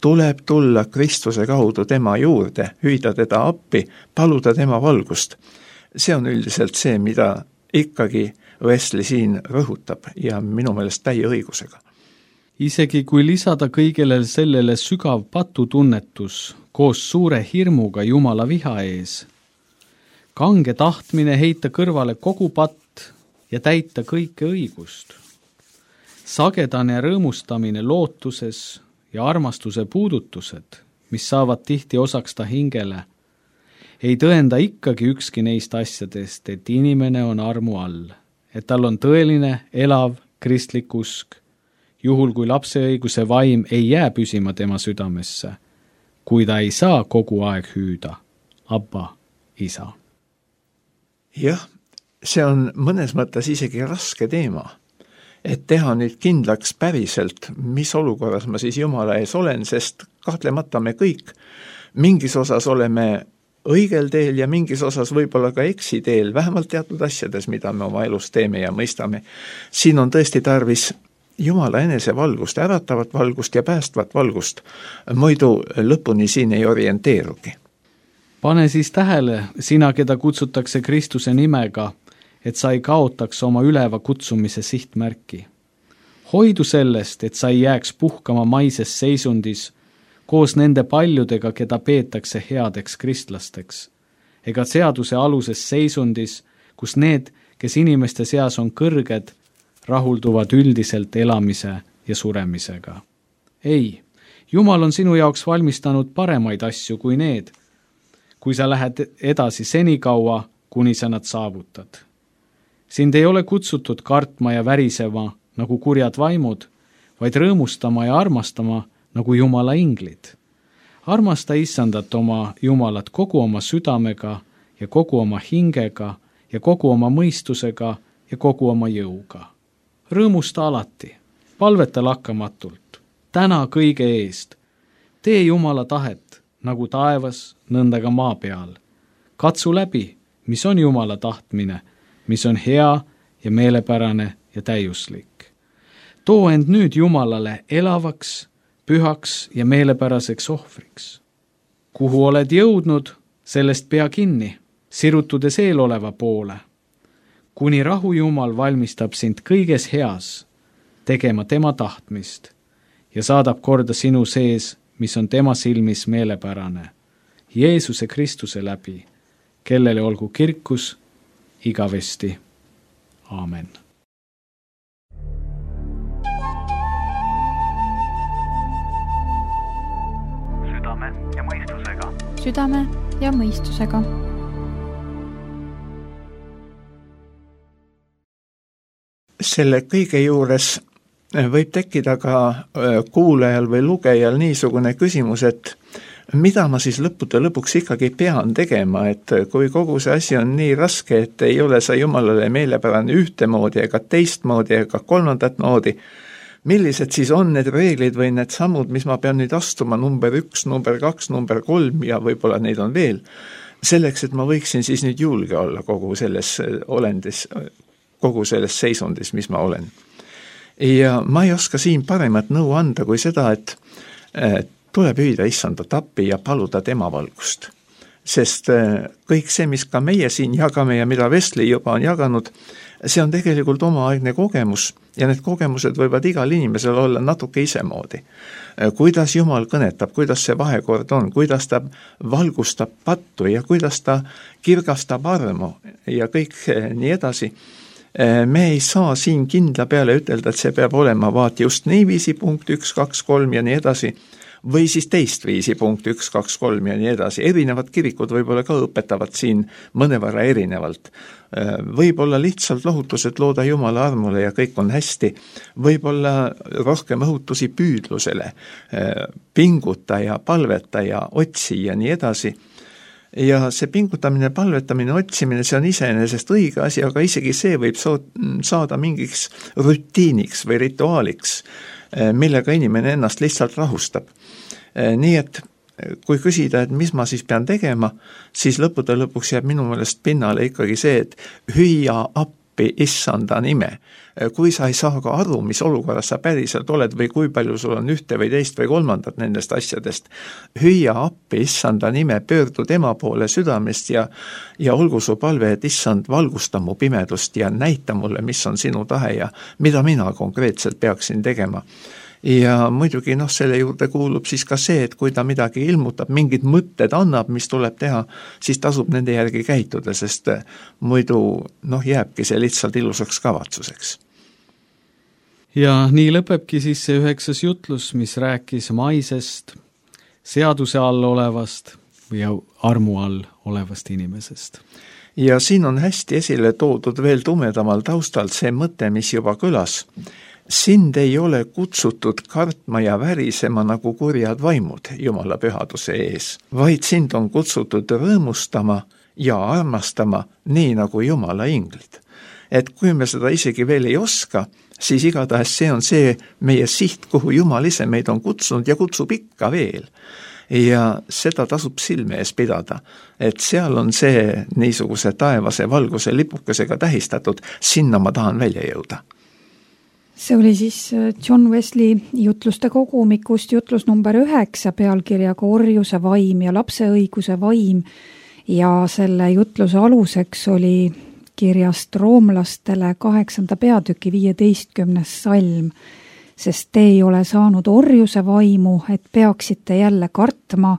tuleb tulla Kristuse kaudu tema juurde, hüüda teda appi, paluda tema valgust. See on üldiselt see, mida ikkagi Wesley siin rõhutab ja minu meelest täie õigusega. Isegi kui lisada kõigele sellele sügav patutunnetus koos suure hirmuga Jumala viha ees, kange tahtmine heita kõrvale kogu patt ja täita kõike õigust, sagedane rõõmustamine lootuses ja armastuse puudutused, mis saavad tihti osaks ta hingele, ei tõenda ikkagi ükski neist asjadest, et inimene on armu all, et tal on tõeline, elav, kristlik usk, juhul kui lapse õiguse vaim ei jää püsima tema südamesse, kui ta ei saa kogu aeg hüüda, Abba, isa. Jah, see on mõnes mõttes isegi raske teema, et teha nüüd kindlaks päriselt, mis olukorras ma siis Jumala ees olen, sest kahtlemata me kõik mingis osas oleme õigel teel ja mingis osas võib-olla ka eksiteel, vähemalt teatud asjades, mida me oma elus teeme ja mõistame. Siin on tõesti tarvis Jumala enese valgust, äratavat valgust ja päästvat valgust, muidu lõpuni siin ei orienteerugi. Pane siis tähele, sina, keda kutsutakse Kristuse nimega, et sa ei kaotaks oma üleva kutsumise sihtmärki. Hoidu sellest, et sa ei jääks puhkama maises seisundis koos nende paljudega, keda peetakse headeks kristlasteks, ega seaduse aluses seisundis, kus need, kes inimeste seas on kõrged, rahulduvad üldiselt elamise ja suremisega. Ei, Jumal on sinu jaoks valmistanud paremaid asju kui need, kui sa lähed edasi senikaua, kuni sa nad saavutad. Sind ei ole kutsutud kartma ja värisema nagu kurjad vaimud, vaid rõõmustama ja armastama nagu Jumala inglid. Armasta Issandat oma Jumalat kogu oma südamega ja kogu oma hingega ja kogu oma mõistusega ja kogu oma jõuga. Rõõmusta alati, palveta lakkamatult, täna kõige eest. Tee Jumala tahet, nagu taevas, nõnda ka maa peal. Katsu läbi, mis on Jumala tahtmine, mis on hea ja meelepärane ja täiuslik. Too end nüüd Jumalale elavaks, pühaks ja meelepäraseks ohvriks. Kuhu oled jõudnud, sellest pea kinni, sirutudes eeloleva poole. Kuni rahu Jumal valmistab sind kõiges heas, tegema tema tahtmist ja saadab korda sinu sees, mis on tema silmis meelepärane, Jeesuse Kristuse läbi, kellele olgu kirkus igavesti. Aamen. Südame ja mõistusega. Südame ja mõistusega. Selle kõige juures võib tekkida ka kuulajal või lugejal niisugune küsimus, et mida ma siis lõppude lõpuks ikkagi pean tegema, et kui kogu see asi on nii raske, et ei ole sa Jumalale meelepärane ühtemoodi ega teistmoodi ega kolmandat moodi, millised siis on need reeglid või need sammud, mis ma pean nüüd astuma, number 1, number 2, number 3 ja võib-olla neid on veel, selleks, et ma võiksin siis nüüd julge olla kogu selles olendis, kogu selles seisundis, mis ma olen. Ja ma ei oska siin paremat nõu anda kui seda, et tuleb hüüda issandat appi ja paluda tema valgust. Sest kõik see, mis ka meie siin jagame ja mida Wesley juba on jaganud, see on tegelikult omaaegne kogemus ja need kogemused võivad igal inimesel olla natuke isemoodi. Kuidas Jumal kõnetab, kuidas see vahekord on, kuidas ta valgustab pattu ja kuidas ta kirgastab armu ja kõik nii edasi. Me ei saa siin kindla peale ütelda, et see peab olema vaat just niiviisi punkt 1, 2, 3 ja nii edasi, või siis teist viisi punkt 1, 2, 3 ja nii edasi. Erinevad kirikud võib-olla ka õpetavad siin mõnevõrra erinevalt. Võib-olla lihtsalt lohutused looda Jumala armule ja kõik on hästi. Võib-olla rohkem õhutusi püüdlusele, pinguta ja palveta ja otsi ja nii edasi. Ja see pingutamine, palvetamine, otsimine, see on iseenesest õige asi, aga isegi see võib saada mingiks rutiiniks või rituaaliks, millega inimene ennast lihtsalt rahustab. Nii et kui küsida, et mis ma siis pean tegema, siis lõppude lõpuks jääb minu meelest pinnale ikkagi see, et hüüa appi issanda nime. Kui sa ei saa ka aru, mis olukorras sa päriselt oled või kui palju sul on ühte või teist või kolmandat nendest asjadest, hüüa appi issanda nime, pöördu tema poole südamest ja olgu su palve, et issand valgusta mu pimedust ja näita mulle, mis on sinu tahe ja mida mina konkreetselt peaksin tegema. Ja muidugi selle juurde kuulub siis ka see, et kui ta midagi ilmutab, mingid mõtted annab, mis tuleb teha, siis tasub nende järgi käituda, sest muidu jääbki see lihtsalt ilusaks kavatsuseks. Ja nii lõpebki siis see 9. jutlus, mis rääkis maisest, seaduse all olevast või armu all olevast inimesest. Ja siin on hästi esile toodud veel tumedamal taustalt see mõte, mis juba kõlas. Sind ei ole kutsutud kartma ja värisema nagu kurjad vaimud Jumala pühaduse ees, vaid sind on kutsutud rõõmustama ja armastama nii nagu Jumala inglid. Et kui me seda isegi veel ei oska, siis igatahes see on see meie siht, kuhu Jumal ise meid on kutsunud ja kutsub ikka veel. Ja seda tasub silme ees pidada, et seal on see niisuguse taevase valguse lipukesega tähistatud, sinna ma tahan välja jõuda. See oli siis John Wesley jutluste kogumikust jutlus number 9 pealkirjaga Orjuse vaim ja lapse õiguse vaim ja selle jutluse aluseks oli kirjast roomlastele 8. peatüki 15. salm, sest te ei ole saanud orjuse vaimu, et peaksite jälle kartma,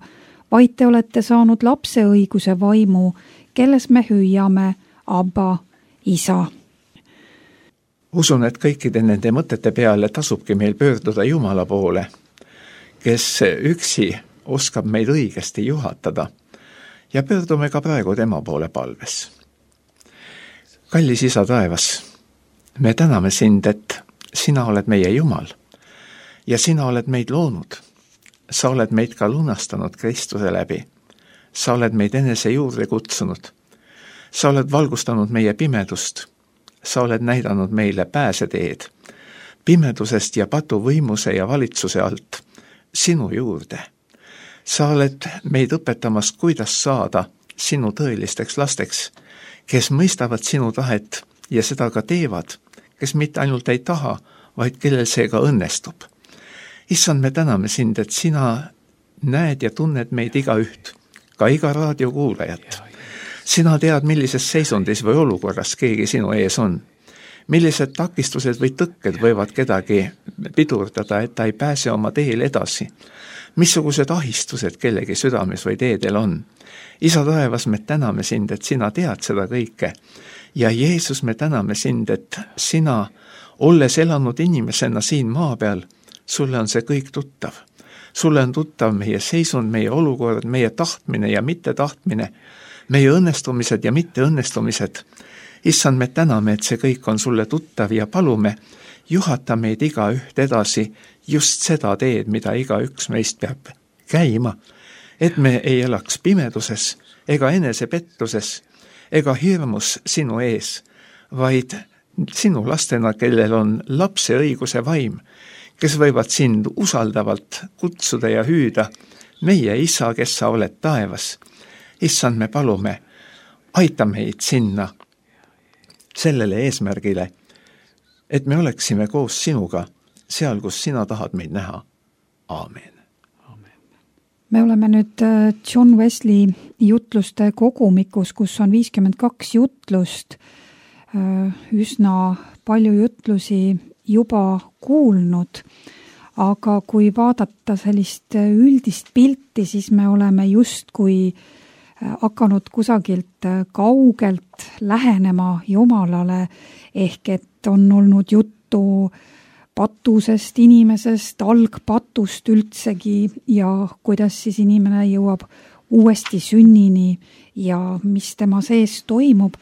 vaid te olete saanud lapse õiguse vaimu, kelles me hüüame Abba, isa. Usun, et kõikide nende mõtete peale tasubki meil pöörduda Jumala poole, kes üksi oskab meid õigesti juhatada ja pöördume ka praegu tema poole palves. Kallis isa taevas, me täname sind, et sina oled meie Jumal ja sina oled meid loonud. Sa oled meid ka lunastanud Kristuse läbi. Sa oled meid enese juurde kutsunud. Sa oled valgustanud meie pimedust. Sa oled näidanud meile pääseteed pimedusest ja patuvõimuse ja valitsuse alt sinu juurde. Sa oled meid õpetamas, kuidas saada sinu tõelisteks lasteks, kes mõistavad sinu tahet ja seda ka teevad, kes mitte ainult ei taha, vaid kellel see ka õnnestub. Issand, me täname sind, et sina näed ja tunned meid igaüht, ka iga raadiokuulajat. Sina tead, millises seisundis või olukorras keegi sinu ees on. Millised takistused või tõkked võivad kedagi pidurdada, et ta ei pääse oma teel edasi. Missugused ahistused kellegi südames või teedel on. Isa taevas, me täname sind, et sina tead seda kõike. Ja Jeesus, me täname sind, et sina, olles elanud inimesena siin maa peal, sulle on see kõik tuttav. Sulle on tuttav meie seisund, meie olukord, meie tahtmine ja mittetahtmine, meie õnnestumised ja mitteõnnestumised. Issand, me täname, et see kõik on sulle tuttav ja palume, juhata meid igaüht edasi just seda teed, mida igaüks meist peab käima, et me ei elaks pimeduses ega enesepettuses ega hirmus sinu ees, vaid sinu lastena, kellel on lapse õiguse vaim, kes võivad sind usaldavalt kutsuda ja hüüda, meie isa, kes sa oled taevas. Issand, me palume, aita meid sinna, sellele eesmärgile, et me oleksime koos sinuga seal, kus sina tahad meid näha. Aamen. me oleme nüüd John Wesley jutluste kogumikus, kus on 52 jutlust, üsna palju jutlusi juba kuulnud, aga kui vaadata sellist üldist pilti, siis me oleme justkui hakanud kusagilt kaugelt lähenema Jumalale, ehk et on olnud juttu patusest inimesest, algpatust üldsegi ja kuidas siis inimene jõuab uuesti sünnini ja mis tema sees toimub.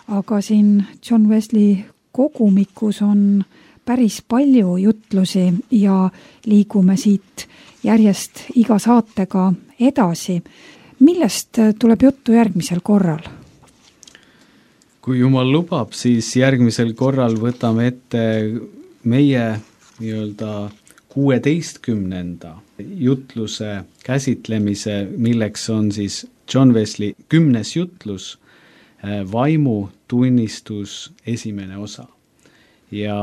Aga siin John Wesley kogumikus on päris palju jutlusi ja liigume siit järjest iga saatega edasi. Millest tuleb juttu järgmisel korral? Kui Jumal lubab, siis järgmisel korral võtame ette meie nii-öelda 16. jutluse käsitlemise, milleks on siis John Wesley 10. jutlus, vaimu tunnistus esimene osa. Ja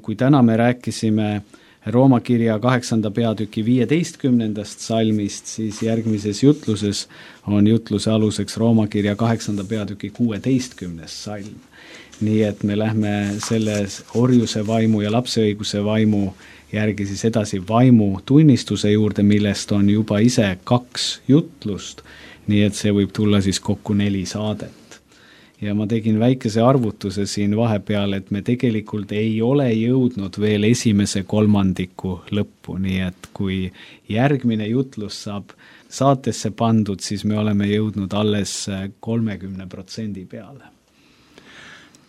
kui täna me rääkisime Rooma kirja 8. peatüki 15. salmist, siis järgmises jutluses on jutluse aluseks Rooma kirja 8. peatüki 16. salm. Nii et me lähme selles orjuse vaimu ja lapseõiguse vaimu järgi siis edasi vaimu tunnistuse juurde, millest on juba ise 2 jutlust, nii et see võib tulla siis kokku 4 saadet. Ja ma tegin väikese arvutuse siin vahepeal, et me tegelikult ei ole jõudnud veel esimese kolmandiku lõppu, nii et kui järgmine jutlus saab saatesse pandud, siis me oleme jõudnud alles 30% peale.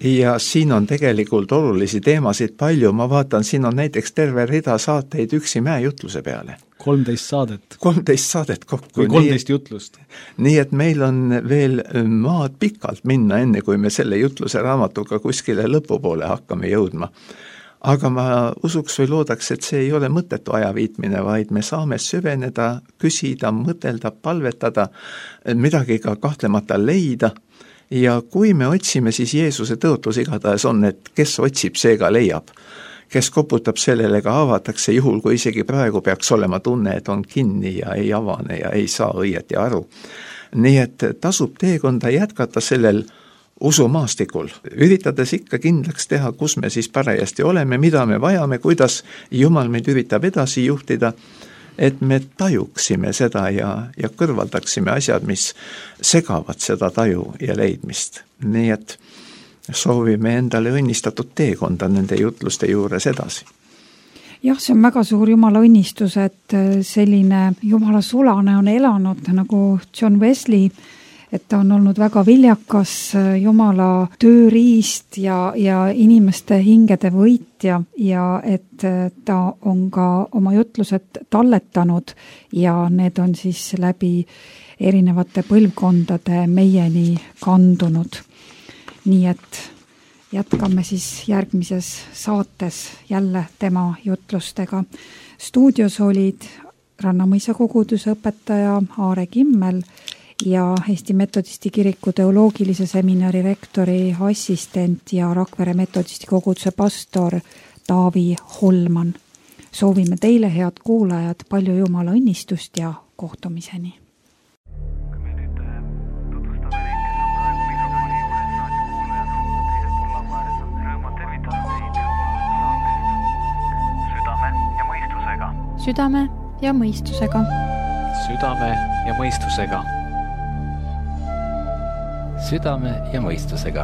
Ja siin on tegelikult olulisi teemasid palju, ma vaatan, siin on näiteks terve rida saateid üksi mäejutluse peale. 13 saadet. 13 saadet kokku. Või 13 jutlust. Nii et meil on veel maad pikalt minna, enne kui me selle jutluse raamatuga kuskile lõpupoole hakkame jõudma. Aga ma usuks või loodaks, et see ei ole mõttetu ajaviitmine, vaid me saame süveneda, küsida, mõtelda, palvetada, midagi ka kahtlemata leida. Ja kui me otsime, siis Jeesuse tõotus igatahes on, et kes otsib, see ka leiab. Kes koputab sellele, ka avatakse, juhul kui isegi praegu peaks olema tunne, et on kinni ja ei avane ja ei saa õieti aru. Nii et tasub teekonda jätkata sellel usumaastikul, üritades ikka kindlaks teha, kus me siis parajasti oleme, mida me vajame, kuidas Jumal meid üritab edasi juhtida, et me tajuksime seda ja kõrvaldaksime asjad, mis segavad seda taju ja leidmist. Nii et soovime endale õnnistatud teekonda nende jutluste juures edasi. Jah, see on väga suur Jumala õnnistus, et selline Jumala sulane on elanud nagu John Wesley, et ta on olnud väga viljakas Jumala tööriist ja inimeste hingede võitja ja et ta on ka oma jutlused talletanud ja need on siis läbi erinevate põlvkondade meieni kandunud. Nii et jätkame siis järgmises saates jälle tema jutlustega. Stuudios olid Rannamõisa koguduse õpetaja Aare Kimmel ja Eesti Metodisti kiriku teoloogilise seminari rektori assistent ja Rakvere Metodisti koguduse pastor Taavi Holman. Soovime teile, head kuulajad, palju Jumala õnnistust ja kohtumiseni. Südame ja mõistusega. Südame ja mõistusega. Südame ja mõistusega.